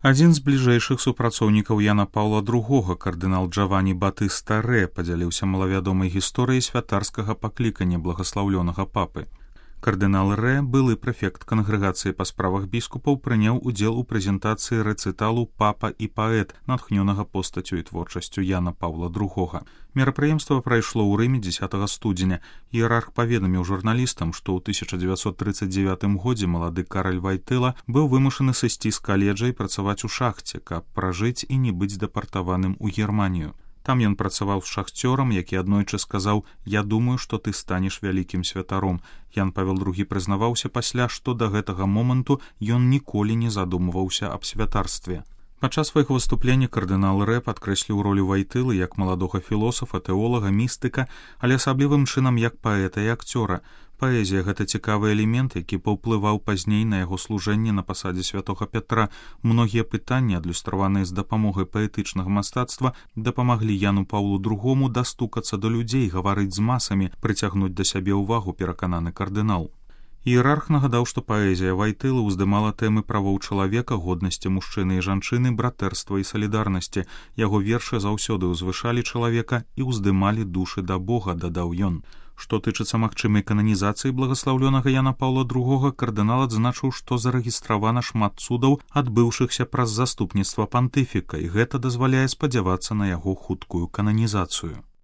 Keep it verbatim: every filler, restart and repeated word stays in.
Адзін з бліжэйшых супрацоўнікаў Яна Паўла другога, кардынал Джавані Батыста Рэ, падзяліўся малавядомай гісторыяй святарскага паклікання благаслаўлёнага папы. Кардынал Рэ, былы прэфект кангрэгацыі па справах біскупаў, прыняў удзел у прэзентацыі рэцыталу «Папа і паэт», натхнёнага постаццю і творчасцю Яна Паўла другога. Мерапрыемства прайшло ў Рыме дзесятага студзеня. Іерарх паведаміў журналістам, што ў тысяча дзевяцьсот трыццаць дзевятым годзе малады Караль Вайтэла быў вымушаны сысці з каледжа і працаваць у шахце, каб пражыць і не быць дэпартаваным у Германію. Там ён працаваў з шахцёрам, які аднойчы сказаў: «Я думаю, што ты станеш вялікім святаром». Ян Павел другі прызнаваўся пасля, што да гэтага моманту ён ніколі не задумваўся аб святарстве. Падчас свайго выступлення кардынал Рэ падкрэсліў ролю Вайтылы як маладога філосафа, тэолага, містыка, але асаблівым чынам як паэта і акцёра. Паэзія — гэта цікавы элемент, які паўплываў пазней на яго служэнне на пасадзе святога Пятра. Многія пытанні, адлюстраваныя з дапамогай паэтычнага мастацтва, дапамаглі Яну Паўлу другому дастукацца да людзей, гаварыць з масамі, прыцягнуць да сябе ўвагу, перакананы кардынал. Іерарх нагадаў, што паэзія Вайтылы ўздымала тэмы правоў чалавека, годнасці мужчыны і жанчыны, братэрства і салідарнасці. Яго вершы заўсёды ўзвышалі чалавека і ўздымалі душы да Бога, дадаў ён. Што тычыцца магчымай кананізацыі благаслаўлёнага Яна Паўла другога, кардынал адзначыў, што зарэгістравана шмат цудаў, адбыўшыхся праз заступніцтва пантыфіка, і гэта дазваляе спадзявацца на яго хуткую кананізацыю.